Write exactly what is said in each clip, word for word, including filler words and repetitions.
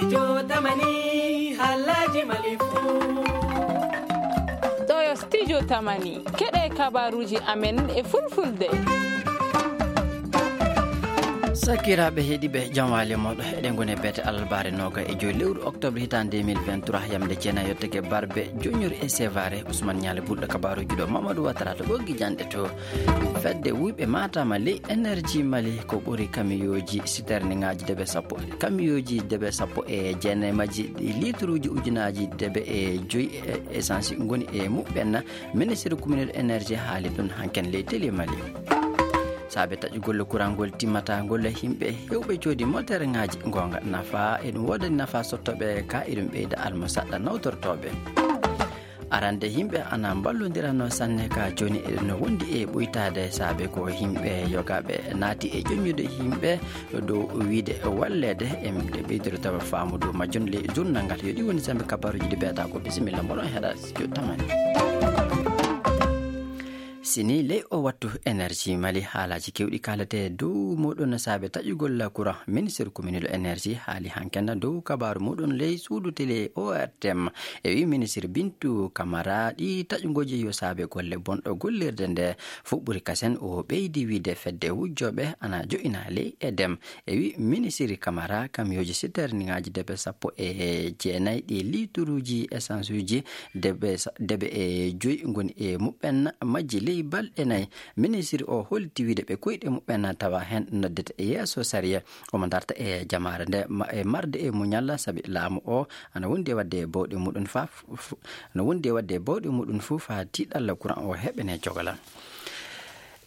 Studio Tamani, haalaaji Mali fuu. Ɗoo yo Studio Tamani, keɗee kabaaruuji amen e Fulfulde. Sakiraaɓe heɗiiɓe, jam waali e mooɗon. Eɗen ngoni e beete alarbaare noogayi e joy lewru oktoobar hitaande deux mille vingt-trois, yamnde jeenayi yottake barbe joññoore e seevaare. Usman Ñaale Bulɗo kabaaruuji ɗoo, Mamadou Ouattara to ɓoggi janɗe to. Fedde wuyɓe maataama ley Energie Mali ko ɓuri kamiyooji siterningaaji debe sappo, kamiyooji debe sappo e jeenayi majji, ɗi liituruuji ujunaaji debe e joy e essence ngoni e muɓɓen. Ministre communal énergie haali ɗum hanken ley télé Mali. Saabe taƴugol kuraŋ ngol timmataa ngol, yimɓe heewɓe coodi moterŋaaji, goonga nafa, eɗum woodani nafa sottooɓe ka, eɗum ɓeyda almusaɗɗa nawtortooɓe. Arande yimɓe ana mballondirano sanne ka jooni, eɗen wondi e ɓuytaade saabe ko yimɓe yogaaɓe naati e joññude yimɓe dow wiide walleede. E ɓeydude tawa faamu dow majjum ley journal ngal. Yo ɗi woni saabe kabaaruuji ɗi beetaa ko. Bisimilla, mboɗon heɗa Studio Tamani. Sini ley o wattu Energie Mali haalaaji keewɗi kaalatee dow muɗum saabe taƴugol kuraŋ. Ministre communal énergie haali hanken dow kabaaru muɗum ley suudu télé O R T M. E wi ministre Bintu Kamara, ɗi taƴugooji yo saabe golle bonɗo gollirde nde. Fuɓɓuri kasen o ɓeydi wiide fedde wujjooɓe ana jo'ina ley E D M. E wi ministre Kamara, kamiyooji siterningaaji debe sappo e jeenayi ɗi liituruuji essence uji debe sa-, debe e joy ngoni e muɓɓen majji ley balɗe nayi. Ministre o holti wiide ɓe koyɗe muɓɓen tawa heen noddete yeeso sariya. Omo darta e jamaare nde ma-, e marde e muñal, sabi laamu o ana wondi e waɗde bawɗe muɗum fa-, fu-, ana wondi e waɗde bawɗe muɗum fuu faa tiiɗalla kuraŋ o heɓene jogalal.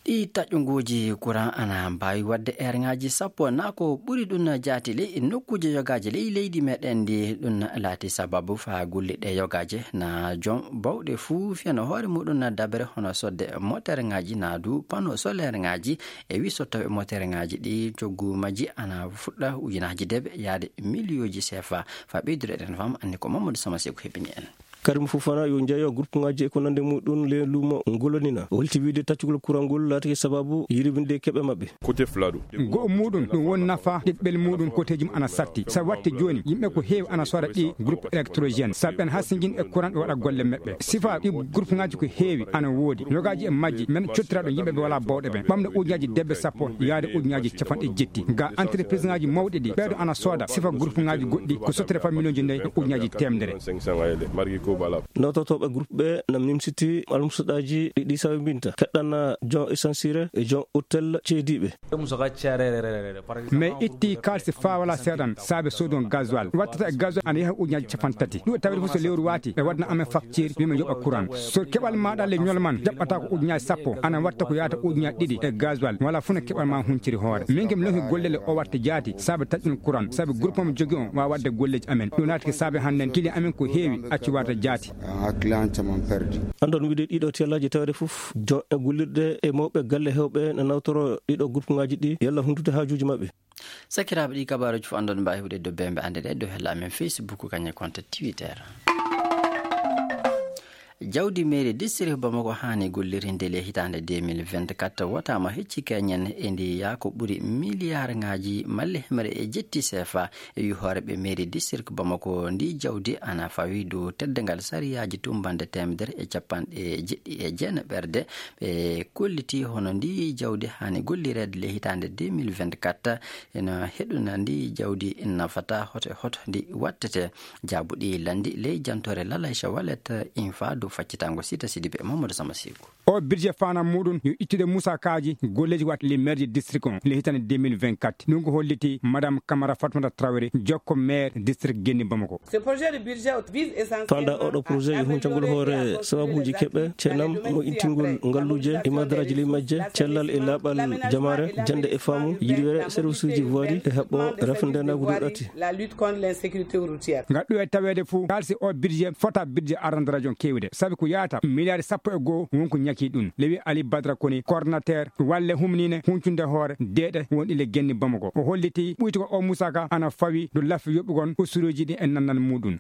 Ɗii taƴungooji kuraŋ ana mbaawi waɗde eerŋaaji sappo naa ko ɓuri ɗum jaati ley nokkuuje yogaaji ley leydi meɗen ndi. Ɗum laati sababu faa golliiɓe yogaaji naa jom bawɗe fuu fiyana hoore muɗum dabere hono sodde moterŋaaji naa du pano solerŋaaji. E wi sottooɓe moterŋaaji ɗi coggu majji ana fuɗɗa ujunaaji debe yaade miliyooji sefa. Faa ɓeydude eɗen fam anni ko Mamadou Sama Seku heɓini en. Karim Fofana yo njeyo gurpuŋaaji e ko nande muɗum le luumo ngolonina. O holti wiide taccugol kuraŋ ngol laatike sababu yirwinde keɓe maɓɓe. Kote fulaɗo. Go'o muɗum ɗum won nafa ɗiɗɓel muɗum koteejum ana satti. Sa watti jooni yimɓe ko heewi ana sooda ɗi groupe électrogène. Sa ɓen hasingin e kuraŋ ɓe waɗa golle maɓɓe. Sifa ɗi gurpuŋaaji ko heewi ana woodi. Yogaaji e majji men cottira ɗo yimɓe ɓe walaa bawɗe ɓen. Ɓamɗo ujunaaji debbe sappo yaade ujunaaji capanɗe jetti. Ga entrepriseŋaaji mawɗi ɗi ɓeeɗo ana sooda sifa gurpuŋaaji goɗɗi ko sottire fa miliyonji nayi e ujunaaji teemedere. Nawtotooɓe groupe ɓe nam nimsiti almusaɗaaji ɗi ɗi sawi mbinta. Keɗɗana jon essensire e jon hôtel ceediiɓe. Mais itti kaalisi faa walaa seeɗan saabe soodun gasoil. Wattata e gasoil ana yaha ujunaaji capanɗe tati. Ɗum e tawde fof so lewru waati ɓe waɗna amen facture, wi'amen yoɓa courant. So keɓal maaɗa le ñol man jaɓɓata ko ujunaaji sappo, ana watta ko yaata ujunaaji ɗiɗi e gasoil. Wala fuu no keɓal ma hunciri hoore. Min ke mi lohi gollele o watta jaati saabe taƴɗun courant, saabe groupe mo jogi on waawa waɗde golleeji amen. Ɗum naati ko saabe hannden client amen ko heewi acci warde jaati. Anndon wiide ɗiɗo tellaaji tawde fof, jon e gollirɗe e mawɓe galle heewɓe no nawtoro ɗiɗo gurpuŋaaji ɗi, yalla hundude haajuuji maɓɓe. Sakiraaɓe, ɗi kabaaruuji fof anndon mbaawi heɓude dow bembe annde ɗe dow hella amen Facebook, kañum e compte Twitter. Jawdi mairie district Bamako haani gollirinde le hitaande deux mille vingt-quatre wataama hecci keñen e ndi yaa ko ɓuri miliyaarŋaaji malle hemre e jetti sefa. E wi hooreeɓe mairie district Bamako, ndi jawdi ana fawi dow teddungal sariyaaji tummbannde teemedere e capanɗe jeɗɗi e jeenaɓerde. Ɓe kolliti hono ndi jawdi haani gollireede le hitaande deux mille vingt-quatre, ena heɗuna ndi jawdi nafata hoto e hoto ndi wattete. Jaabuɗi lanndi ley jantoore Lalayca Walet Infa dow faccitango Sita Sidibe e Mamadou Sama Siku. O budget faandaare muɗum yo ittude musaakaaji golleeji waɗɗi le maire du district on le hitaande deux mille vingt-quatre. Ɗum ko holliti Madame Kamara Fatoumata Traoré, jokko maire district Genni Bamako. Faandaare oɗo projet yo huncangol hoore sababuuji keɓe, ceenam, moƴƴintingol ngalluuje e madaraaji ley majje, cellal e laaɓal jamaare, jannde e faamu, yirwere, servisuuji voirie e haɓɓo rafindeenaagu dow ɗati. Ngal ɗum e taweede fuu, kaalisi o budget fota budget arande rajon keewde. sabi ko yaata miliyaari sappo e goo won ko ñakii ɗum. Lewi Ali Badra Koni, koordinateer walle humniine huncunde hoore deeɗe wonɗi le genni Bamako, o hollitii ɓuytugol oo musaka ana fawii dow laffi yoɓugol usuruuji ɗi e nannal muuɗum.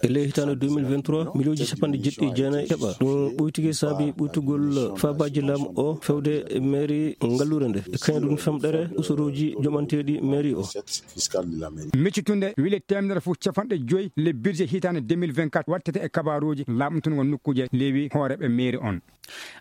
E ley hitaande deux mille vingt-trois, miliyonji cappanɗe jeeɗiɗi e jeenayi keɓaa. Ɗum ɓuytike saabi ɓuytugol faabaaji laamu o fewde meeri ngalluure nde. E kañum ɗum femɗere usuruuji joɓanteeɗi meeri o. Miccitunde wile teemedere fof capanɗe joy le budget hitaande deux mille vingt-quatre wattete e kabaaruuji laaɓntungo nokkuuje lewi hooreeɓe meeri on.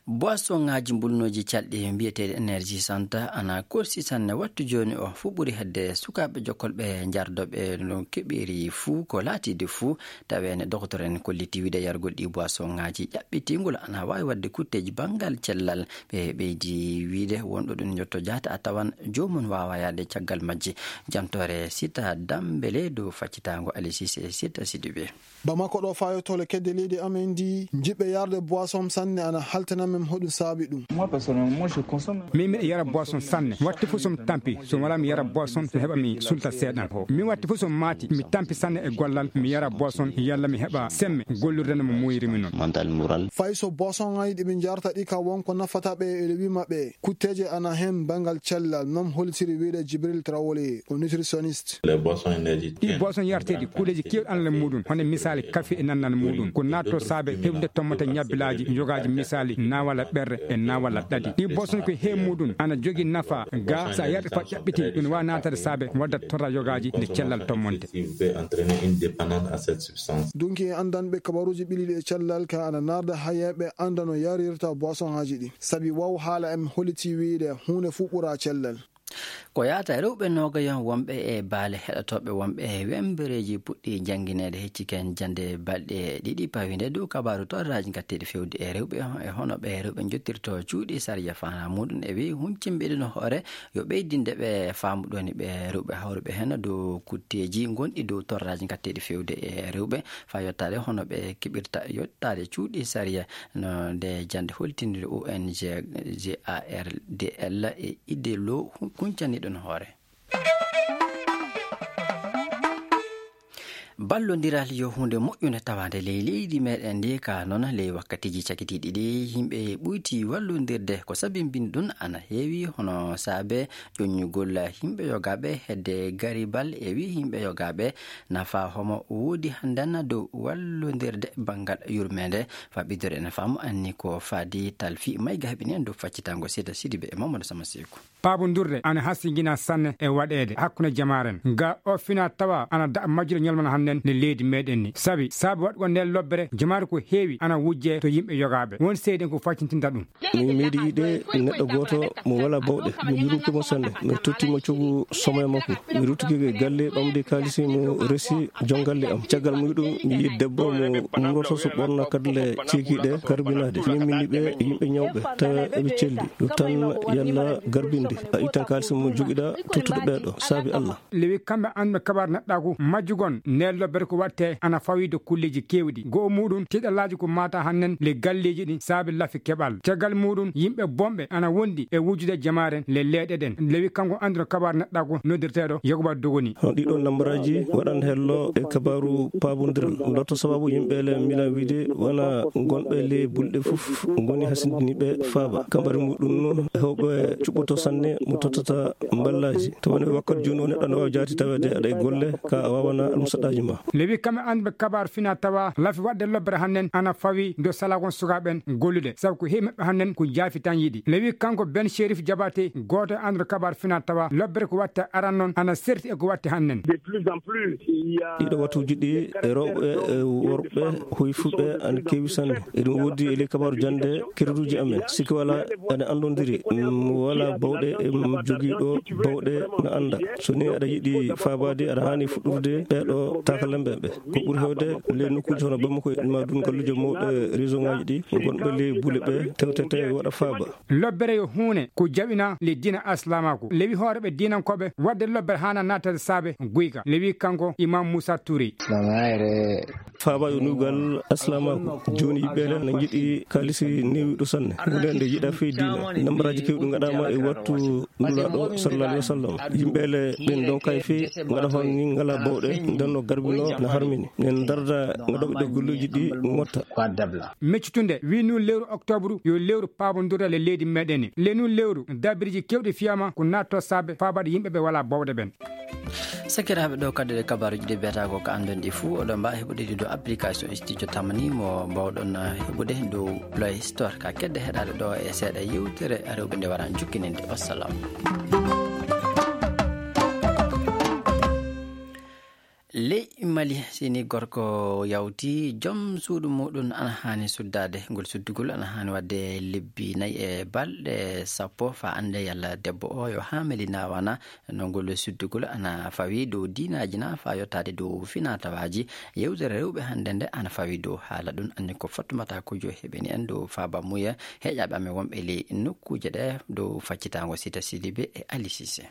Boisonŋaaji mbulnooji calɗi mbiyeteeɗi energie santa ana korsi sanne wattu jooni o. Fuu ɓuri hedde sukaaɓe jokkolɓe njardooɓe no keɓiri fuu ko laatiide fuu. Taweene doktor en kolliti wiide yargol ɗi boisonŋaaji ƴaɓɓitingol ana waawi waɗde kutteeji banngal cellal. Ɓe ɓeydi wiide wonɗo ɗum njotto jaata a tawan joomum waawa yaade caggal majji. Jantoore Sita Dambele dow faccitaango Alisis e Sita Sidibe. Bamako ɗo faa yottoole kedde leydi amen ndi, jiɓɓe yarde boisson sanne ana haltana men hoɗum saabi ɗum. Min miɗa yara boisson sanne, watti fof so mi tampi, so mi walaa mi yara boisson mi heɓa mi sulta seeɗan. Min watti fof so mi maati mi tampi sanne e gollal mi yara boisson yalla mi heɓa semme gollirde no mo muuyiri mi noon. Fay so boisson ŋaaji ɗi ɓe njarta ɗi ka won ko nafata ɓe e rewi maɓɓe kutteeje ana heen banngal cellal non hollitiri wiyde Jibril Traoré o nutritionniste. Ɗii boisson yarteeɗi kuleeji keewɗi ana le muuɗum hono misaali kafe e nannal muuɗum ko naatto saabe heɓde tommata ñabbilaaji yogaaji misaali naawala ɓerre e naawala ɗaɗi. Ɗii boisson ko hee muuɗum ana jogii nafa ga so a yarɗi faa ƴaɓɓiti ɗum waawa naataade saabe wadda torra yogaaji nde cellal tommonte. Dunki e anndanɓe kabaruuji ɓiliiɗi e cellal ka ana naarda hayeeɓe annda no yarirta boisson ŋaaji ɗi sabi waw haala en holliti wiyde huunde fuu ɓura cellal. Ko yaata rewɓe noogayon wonɓe e baale heɗotooɓe wonɓe e wembereeji puɗɗii janngineede hecci ken jannde balɗe ɗiɗi pawii nde dow kabaaru torraaji ngatteeɗi fewde e rewɓe e hono ɓe rewɓe njottirtoo cuuɗi sariya faanaa muuɗum e wii huncinɓe ɗum hoore yo ɓeydinde ɓe faamu ɗoni ɓe rewɓe hawruɓe heen dow kutteeji ngonɗi dow torraaji ngatteeɗi fewde e rewɓe faa yottaade hono ɓe keɓirta yottaade cuuɗi sariya. No nde jannde holtiniri O N G G A R D L e idde loo kuncaniiɗo no hoore. Ballondiral yo huunde moƴƴunde tawaande ley leydi meeɗen ndi ka noon ley wakkatiiji cakitiiɗi ɗi yimɓe ɓuyti wallondirde ko sabimbini ɗum ana heewi hono saabe ƴoññugol yimɓe yogaaɓe hedde garibal e wii yimɓe yogaaɓe nafa homo woodi hannden dow wallondirde banngal yurmeende. Faɓidore ene faamu anni ko faadi talfi mayga heɓini en dow faccitango seeda sidibe e mamadou sama seeku. Paabondirde ana hasingina sanne e waɗeede hakkunde jamaaren ga o fina tawa ana daɗa majjude ñalmana hannden nde leydi meeɗen ni sabi saabi waɗugol nden lobbere jamaare ko heewi ana wujje to yimɓe yogaaɓe won seyden ko faccintinta ɗum. Mi miɗo yiɗi neɗɗo gooto mo walaa bawɗe, mi yurmike mo sanne. Mi totti mo coggu somoya makko. Mi ruttike galle ɓamde kaalisi mo resi jom galle am. Caggal mum ɗum mi yiɗi debbo mo umroto so ɓorna kadle ceekiiɗe karbinaade. Min min ɓe yimɓe ñawɓe tawa eɓe celli. Yo tan yalla garbinde a ittan kaalisi mo jogiɗa tottude ɓeeɗo saabi Allah. Lewi kamɓe annduɓe kabaar neɗɗaaku majjugon nde lobbere ko watte ana fawii dow kulleeji keewɗi goo muuɗum tiiɗalaaji ko maata hannen le galleeji ɗin saabi lafi keɓal caggal muuɗum yimɓe bonɓe ana wonɗi e wujjude jamaare le leeɗe ɗen lewi kanko annduɗo kabaar neɗɗaaku noddirteeɗo yakuba dogoni. Hono ɗiɗo nambaraaji waɗan hello e kabaaru paabondiral lotto sababu yimɓe le milan wiide wona gonɓe le bulɗe fof ngoni hasindiniiɓe faaba kambari muɗum hewɓe cuɓɓoto sanne mo tottata mballaaji to woni wakkati jooni o neɗɗo ana waawi jaati taweede aɗa e golle ka a waawana almusaɗaaji ma. Lewi kamɓe annduɓe kabaar fina tawa lafi waɗde lobbere hannen ana fawi do salakon sukaaɓen gollude sabu ko heewi maɓɓe hannen ko jaafi tan yiɗi lewi kanko ben sherif jabate gooto e annduɗo kabaar fina tawa lobbere ko watte aran noon ana serti e ko watte hannen. Ɗiɗo watuuji ɗi e rewɓe e worɓe hoyfuɓe ana keewi sanne. Eɗum woodi e ley kabaaru jannde kereduuji amen sikki wala ene anndondiri mo wala bawɗe e mo jogiiɗo bawɗe no annda so ni aɗa yiɗi faabaade aɗa haani fuɗɗude ɓeeɗo takalamɓe ɓe ko ɓuri hewde ley nokkuuji hono bamako ma dun galluuje mawɗe réseau ngaji ɗi gonɓe ley bule ɓe tewtete waɗa faaba. Lobbere yo huune ko jaɓina ley diina aslamaku lewi hooreɓe diinankooɓe waɗde lobbere haana naatade saabe guyka lewi kanko imam moussa touré. Faaba yo nuugal aslamaku jooni yiɓɓeele na jiɗi kaalisi newiɗo sanne wonde nde yiɗa fey diina nambaraaji kewɗi ngaɗama e wattu nulaaɗo sallallahu alaihi wasallam yimɓeele ɓen donkay fey ngaɗa hon ni ngala bawɗe ndenno garbi. No, no harmini. Min darda no ɗoɓe ɗo golluuji ɗi motta. Meccutunde, wi nu lewru oktobru yo lewru paabondirde le leydi meɗen. Le nu lewru, dabiriji kewɗi fiyama ko natto saabe faabaade yimɓe ɓe wala bowɗe ɓen. Sakiraaɓe, ɗo kadi ɗe kabaaruji ɗi mbiyata ko ka anndon ɗi fuu, oɗon mbaawi heɓude ɗi dow application Studio Tamani mo mbaawɗon heɓude dow Play Store. Ka kedde heɗaade ɗo e seeɗa yewtere rewɓe nde wara jukkininde. Wassalam. Ley Mali, si ni gorko yawti, jom suudu muuɗum ana haani suddaade. Ngol suddugol ana haani waɗde lebbi nayi e balɗe sappo, faa annde yalla debbo o yo haameli naa wanaa. No ngol suddugol ana fawi dow diinaaji naa faa yottaade dow finaa-tawaaji. Yewtere rewɓe hannde nde ana fawi dow haala ɗum. Anni ko Fatumata Kojo heɓini en dow faaba muuya heeƴaaɓe amen wonɓe ley nokkuuje ɗe dow faccitaango Sita Sidibe e Ali Sise.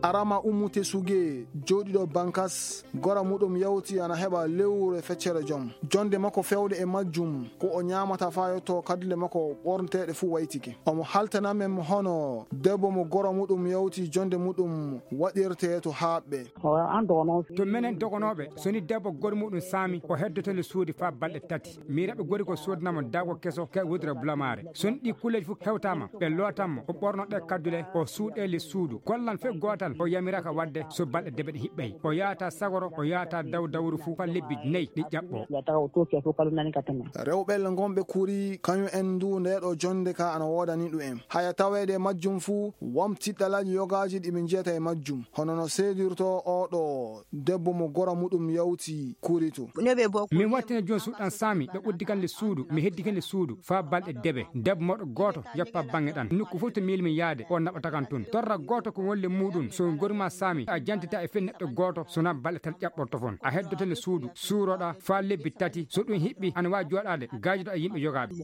Arama Umu Tesuge, jooɗiiɗo Bankas, gora muɗum yawti ana heɓa lewru e feccere jom. Jonde makko feewde e majjum, ko o ñaamata faa yotto kaddule makko ɓorneteeɗe fuu waytike. Omo haaltana men hono debbo mo gora muɗum yawti jonde muɗum waɗirtee to haaɓɓe. To menen dogonooɓe, so ni debbo gora muɗum saami, o heddoto nde suudu faa balɗe tati. Miiraaɓe gori ko soodana mo daago keso ka wudere bulamaare. So ɗii kulleeji fof hewtaama, ɓe lootan mo, o ɓorno ɗee kaddule, o suuɗee le suudu. Gollan fof gootal, o yamiraaka waɗde so balɗe debe ɗe hiɓɓay. O yaata sagoro, o yaata daw dawru fof faa lebbi nayi ɗi ƴaɓɓoo. Rewɓe le ngonɓe kuri, kañum en ndu ndee ɗoo jonnde ka ana woodani ɗum en. Haya taweede e majjum fuu, won tiɗɗalaaji yogaaji ɗi ɓe njiyata e majjum. Hono no seedirtoo oo ɗoo debbo mo gora muɗum yawti kuri to. Min wattina jooni suudu ɗan saami, ɓe uddi kan le suudu, mi heddi kan le suudu, faa balɗe debe. Debbo mawɗo gooto yoppa baŋŋe ɗan. Nokku fof to miili min yaade, o naɓata kan tun. Torra gooto ko won le muuɗum, so gori maa saami, a jantita e fii neɗɗo gooto, so naa balɗe tan ƴaɓɓorto fon. A heddoto le suudu, suuroɗaa faa lebbi tati. So ɗum hiɓɓi, ana waawi jooɗaade, gaajoɗaa e yimɓe yogaaɓe.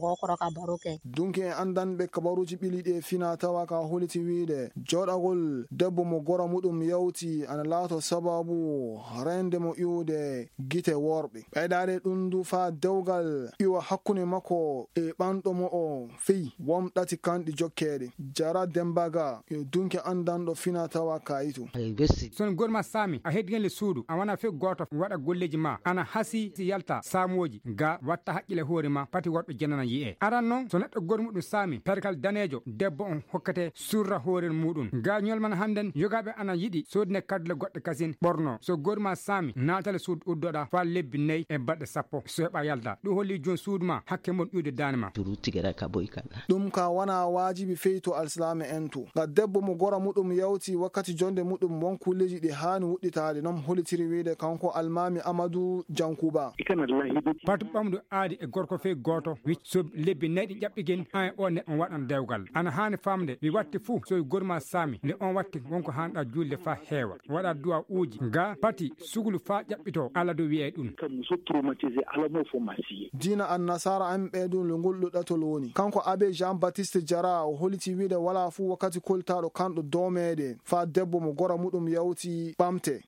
Dunki en anndanɓe kabaruuji ɓiliiɗi e finaa tawaa ka holiti wiide, jooɗagol debbo mo gora muɗum yawti ana laato sababu reende mo iwde gite worɓe. Ɓeydaade ɗum du faa dewgal iwa hakkunde makko e ɓanɗo mo o fey won ɗati kanɗi jokkeede. Jara Dembaga yo dunki anndanɗo finaa tawaa kaayitu. So no gori maa saami, a heddi hen le suudu, a wanaa fey gooto waɗa golleeji maa, ana hasii si yalta saamooji, ga watta haqqile hoore maa, pati worɓe jenana yi'ee. Aran non, so neɗɗo gori muɗum saami, perkal daneejo, debbo on hokkete surra hoore muɗum. Ga ñolman hannden, yogaaɓe ana yiɗi soodine kaddule goɗɗe kasin ɓorno. So gori maa saami, naatale suudu uddoɗaa faa lebbi nayi e balɗe sappo. So heɓaa yalta. Ɗum holli jooni suudu maa, hakke mon iwde daande maa. Turu tigere ka boy kala. Ɗum ka wanaa waajibi fey to alsilaame en to. Nga debbo mo gora muɗum yawti wakkati jonde muɗum won kulleeji ɗi haani wuɗɗitaade. Non holitiri wiide kanko Almaami Amadu Jankuba. Patu ɓamdu aadi e gorko fey gooto, wicci so lebbi nayi ɗi ƴaɓɓi gen, an e oo neɗɗo on waɗan dewgal. Ana haani faamde, wi watti fuu, so wi gori maa saami, nde on watti won ko haanɗaa juulde faa heewa. Waɗaa duwaa uuji, ga pati suglu faa ƴaɓɓitoo, Alla du wi'ay ɗum. Kam so traumatisé, Alla mo fo masiye. Diina Annasaara en ɓee du, ngol ɗo ɗatol woni. Kanko Abbé Jean Baptiste Diarra, o holiti wiide walaa fuu wakkati koltaaɗo kanɗo doomeede, faa debbo mo gora muɗum yawti ɓamte.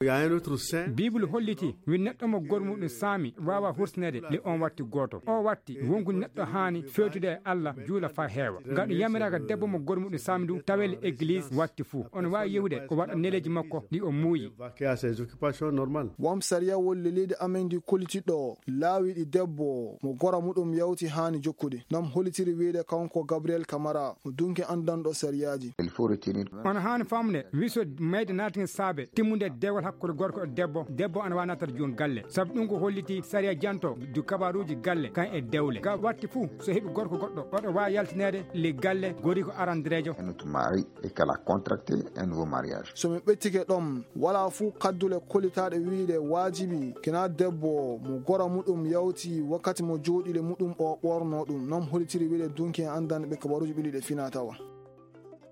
Biibul holliti, wi neɗɗo mo gor muɗum saami waawaa hursineede le on watti gooto. O watti, wonku neɗɗo haani fewtude e Alla, juula faa heewa. Nga ɗum yamiraaka debbo mo gor muɗum saami du, tawee le egliis watti fuu. Ono waawi yehude, o waɗa neleeji makko ɗi o muuyi. Won sariyawol le leydi amen ndi kollitiɗo laawi ɗi debbo mo gora muɗum yawti haani jokkude. Non hollitiri wiide kanko Gabriel Camara, mo dunki anndanɗo sariyaaji. Ono haani faamde, wi so mayde naatike saabe timmunde dewgal hakkunde gorko e debbo, debbo ana waawi naatata jooni galle. Sabu ɗum ko holliti sariya janto du kabaaruuji galle kan e dewle. Ga watti fuu, so heɓi gorko goɗɗo, oɗo waawi yaltineede le galle, gori ko arandereejo. Et que la contracté un nouveau mariage. So mi ɓettike ɗon, walaa fuu kaddule kollitaaɗe wiide waajibi kinaa debbo mo gora muɗum yawti wakkati mo jooɗile muɗum o ɓorno ɗum. Non holitiri wiide dunki en anndanɓe kabaruuji ɓiliiɗe finaa tawa.